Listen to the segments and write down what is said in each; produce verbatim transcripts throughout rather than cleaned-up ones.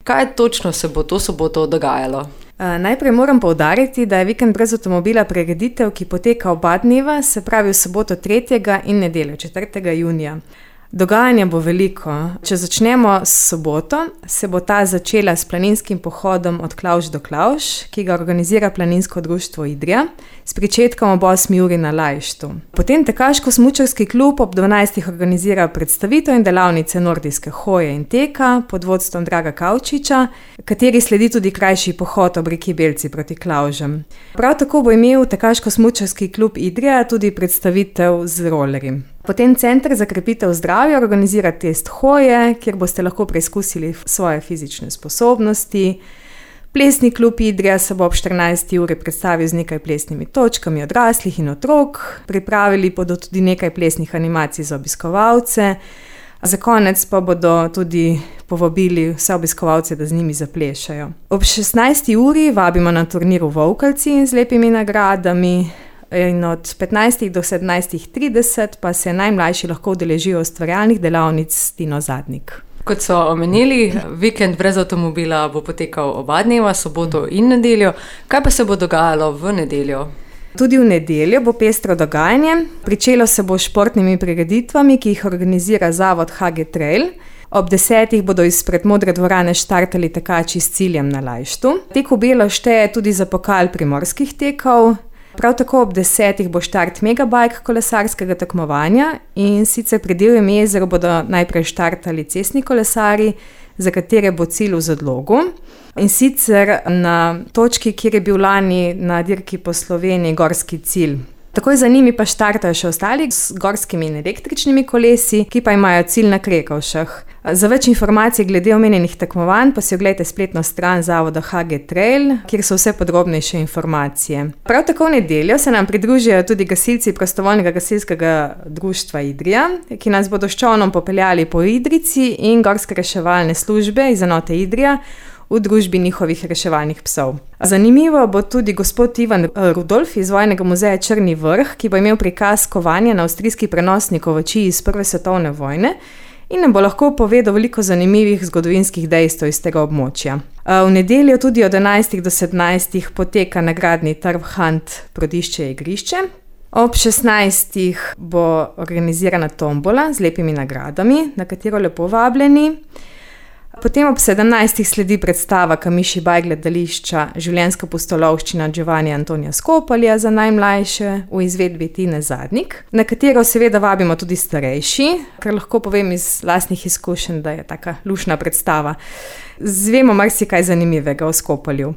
Kaj točno se bo to soboto dogajalo? Najprej moram poudariti, da je Vikend brez avtomobila prireditev, ki poteka oba dneva, se pravi v soboto tretjega in nedeljo četrtega junija. Dogajanja bo veliko. Če začnemo s soboto, se bo ta začela s planinskim pohodom od Klavž do Klavž, ki ga organizira Planinsko društvo Idrija, s pričetkom ob osmi uri na Lajštu. Potem Tekaško-smučarski klub ob dvanajstih organizira predstavitev in delavnice nordijske hoje in teka pod vodstvom Draga Kavčiča, kateri sledi tudi krajši pohod ob reki Belci proti Klavžem. Prav tako bo imel Tekaško-smučarski klub Idrija tudi predstavitev z rolerji. Potem Center za krepitev zdravja organizira test hoje, kjer boste lahko preizkusili svoje fizične sposobnosti. Plesni klub Idrija se bo ob štirinajsti uri predstavil z nekaj plesnimi točkami odraslih in otrok. Pripravili bodo tudi nekaj plesnih animacij za obiskovalce. Za konec pa bodo tudi povabili vse obiskovalce, da z njimi zaplešajo. Ob šestnajsti uri vabimo na turnir v Volkalci z lepimi nagradami. In od petnajstih do sedemnajstih trideset pa se najmlajši lahko udeležijo ustvarjalnih delavnic s Tino Zadnik. Kot so omenili, Vikend brez avtomobila bo potekal oba dneva, soboto in nedeljo. Kaj pa se bo dogajalo v nedeljo? Tudi v nedeljo bo pestro dogajanje. Pričelo se bo s športnimi prireditvami, ki jih organizira zavod H G Trail. Ob desetih bodo izpred Modre dvorane štartali tekači s ciljem na Lajštu. Tek v belo šteje tudi za pokal primorskih tekov. Prav tako ob desetih bo štart megabike kolesarskega tekmovanja in sicer pri Divjem jezeru bodo najprej štartali cestni kolesari, za katere bo cilj v Zadlogu. In sicer na točki, kjer je bil lani na dirki po Sloveniji gorski cilj. Takoj za njimi pa štartajo še ostali z gorskimi in električnimi kolesi, ki pa imajo cilj na Krekovšah. Za več informacij glede omenjenih tekmovanj pa si oglejte spletno stran zavoda H G Trail, kjer so vse podrobnejše informacije. Prav tako v nedeljo se nam pridružijo tudi gasilci Prostovoljnega gasilskega društva Idrija, ki nas bodo s čolnom popeljali po Idrijci in gorske reševalne službe iz enote Idrija v družbi njihovih reševalnih psov. Zanimivo bo tudi gospod Ivan Rudolf iz Vojnega muzeja Črni vrh, ki bo imel prikaz kovanja na avstrijski prenosnik ovačij iz prve svetovne vojne in nam bo lahko povedal veliko zanimivih zgodovinskih dejstev iz tega območja. V nedeljo tudi od enajstih do sedemnajstih poteka nagradni trg Hunt Prodišče igrišče. Ob šestnajstih bo organizirana tombola z lepimi nagradami, na katero lepo vabljeni. Potem ob sedemnajstih sledi predstava Kamiši Baj gledališča Življenjska pustolovščina Giovanni Antonija Skopalja za najmlajše v izvedbi Tine Zadnik, na katero seveda vabimo tudi starejši, kar lahko povem iz lastnih izkušenj, da je taka lušna predstava. Zvemo marsikaj zanimivega o Skopalju.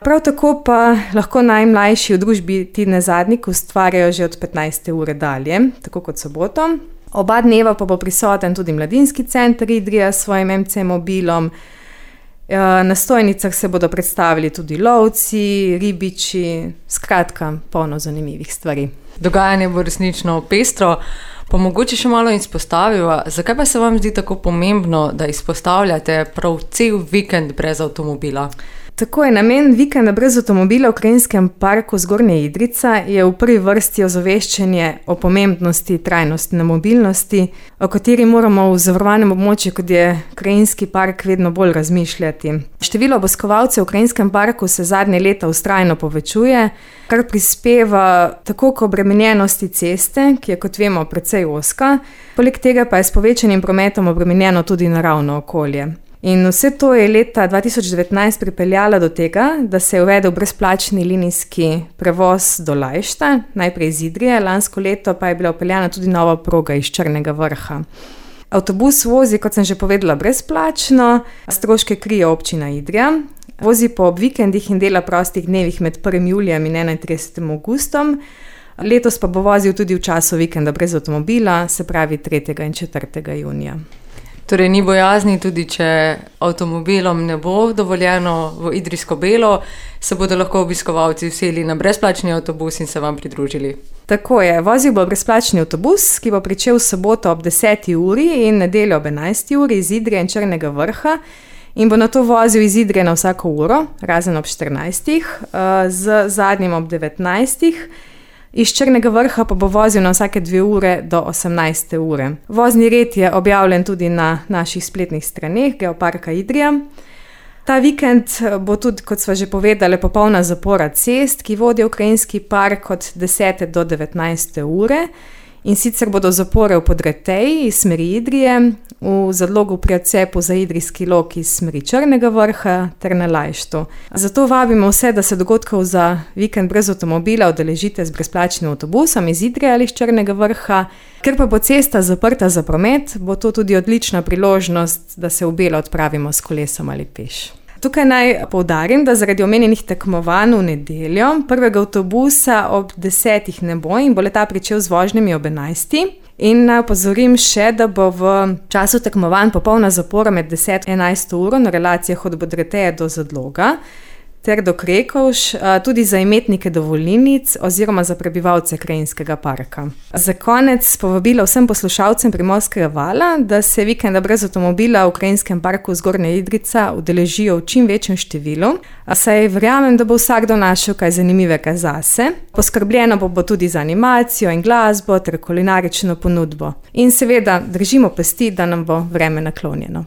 Prav tako pa lahko najmlajši v družbi Tine Zadnik ustvarjajo že od petnajste ure dalje, tako kot soboto. Oba dneva pa bo prisoten tudi Mladinski center Idrija s svojim M C mobilom. Na stojnicah se bodo predstavili tudi lovci, ribiči, skratka, polno zanimivih stvari. Dogajanje bo resnično pestro, pa mogoče še malo izpostaviva. Zakaj pa se vam zdi tako pomembno, da izpostavljate prav cel vikend brez avtomobila? Tako je, namen vikenda brez avtomobila v Krajinskem parku Zgornja Idrijca je v prvi vrsti ozaveščanje o pomembnosti trajnostne mobilnosti, o kateri moramo v zavarovanem območju, kot je Krajinski park, vedno bolj razmišljati. Število obiskovalcev v Krajinskem parku se zadnje leta vztrajno povečuje, kar prispeva tako k obremenjenosti ceste, ki je, kot vemo, precej ozka, poleg tega pa je s povečanim prometom obremenjeno tudi naravno okolje. In vse to je leta dva tisoč devetnajst pripeljalo do tega, da se je uvedel brezplačni linijski prevoz do Lajšta, najprej iz Idrije, lansko leto pa je bila vpeljana tudi nova proga iz Črnega vrha. Avtobus vozi, kot sem že povedala, brezplačno, stroške krije občina Idrija, vozi po ob vikendih in dela prostih dnevih med prvim julijem in enaintridesetim avgustom, letos pa bo vozil tudi v času vikenda brez avtomobila, se pravi tretjega in četrtega junija. Torej ni bojazni, tudi če avtomobilom ne bo dovoljeno v Idrijsko Belo, se bodo lahko obiskovalci vseli na brezplačni avtobus in se vam pridružili. Tako je, vozil bo brezplačni avtobus, ki bo pričel soboto ob deseti uri in nedeljo ob enajsti uri iz Idrije in Črnega vrha in bo nato vozil iz Idrije na vsako uro, razen ob štirinajstih, z zadnjim ob devetnajstih. Iz Črnega vrha pa bo vozil na vsake dve ure do osemnajste ure. Vozni red je objavljen tudi na naših spletnih straneh Geoparka Idrija. Ta vikend bo tudi, kot sva že povedali, popolna zapora cest, ki vodijo v Krajinski park od desete do devetnajste ure. In sicer bodo zapore v Podreteji iz smeri Idrije, v Zadlogu pri odcepu za Idrijski lok iz smeri Črnega vrha ter na Lajštu. Zato vabimo vse, da se dogodkov za vikend brez avtomobila udeležite z brezplačnim avtobusom iz Idrije ali iz Črnega vrha. Ker pa bo cesta zaprta za promet, bo to tudi odlična priložnost, da se v Belo odpravimo s kolesom ali peš. Tukaj naj poudarim, da zaradi omenjenih tekmovanj v nedeljo prvega avtobusa ob desetih ne bo in bo le-ta pričel z vožnjami ob enajstih. In naj opozorim še, da bo v času tekmovanj popolna zapora med deseto in enajsto uro na relacijah od Podreteje do Zadloga ter do Krekovš, tudi za imetnike dovolilnic oziroma za prebivalce Krajinskega parka. Za konec povabilo vsem poslušalcem Primorskega vala, da se vikenda brez avtomobila v Krajinskem parku Zgornja Idrijca udeležijo v čim večjem številu, saj verjamem, da bo vsakdo našel kaj zanimivega zase. Poskrbljeno bo, bo tudi za animacijo in glasbo ter kulinarično ponudbo. In seveda držimo pesti, da nam bo vreme naklonjeno.